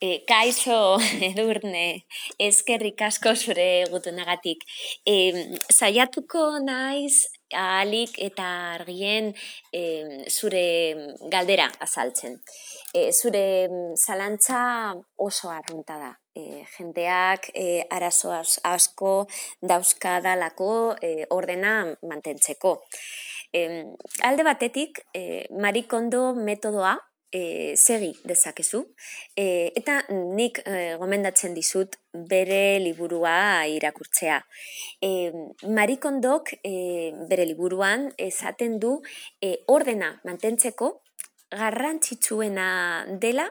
Kaixo, Edurne, eskerrik asko zure gutunagatik. Saiatuko naiz ahalik eta argien zure galdera azaltzen. Zure zalantza oso arrunta da. Jendeak arazo asko dauzkadalako ordena mantentzeko. Alde batetik, Marie Kondo metodoa segi dezakezu, eta nik gomendatzen dizut bere liburua irakurtzea. Marie Kondok bere liburuan esaten du ordena mantentzeko garrantzitsuena dela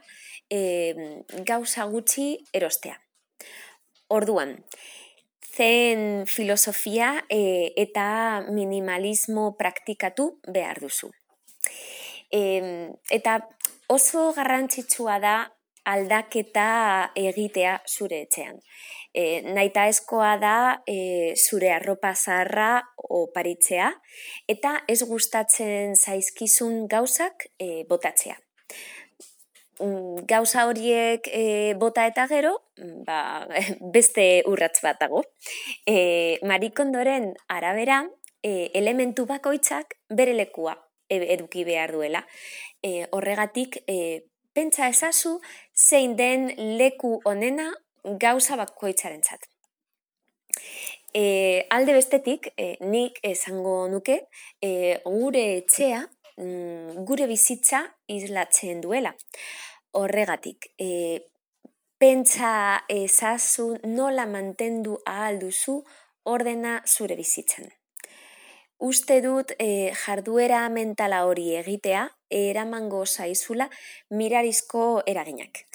gauza gutxi erostea. Orduan, zen filosofia eta minimalismo praktikatu behar duzu. Eta oso garrantzitsua da aldaketa egitea zure etxean. Nahitaezkoa da zure arropa zaharra oparitzea eta ez gustatzen zaizkizun gauzak botatzea. Gauza horiek bota eta gero, beste urrats bat dago. Marie Kondoren arabera, elementu bakoitzak bere lekua eduki behar duela. Horregatik, pentsa ezazu zein den leku onena gauza bakoitzarentzat. Alde bestetik, nik esango nuke, gure etxea, gure bizitza islatzen duela. Horregatik, pentsa ezazu nola mantendu ahal duzu ordena zure bizitzan. Uste dut jarduera mentala hori egitea eramango zaizula mirarizko eraginak.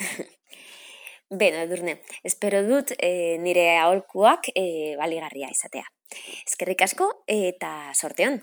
Beno, Edurne, espero dut nire aholkuak baligarria izatea. Eskerrik asko eta zorte on!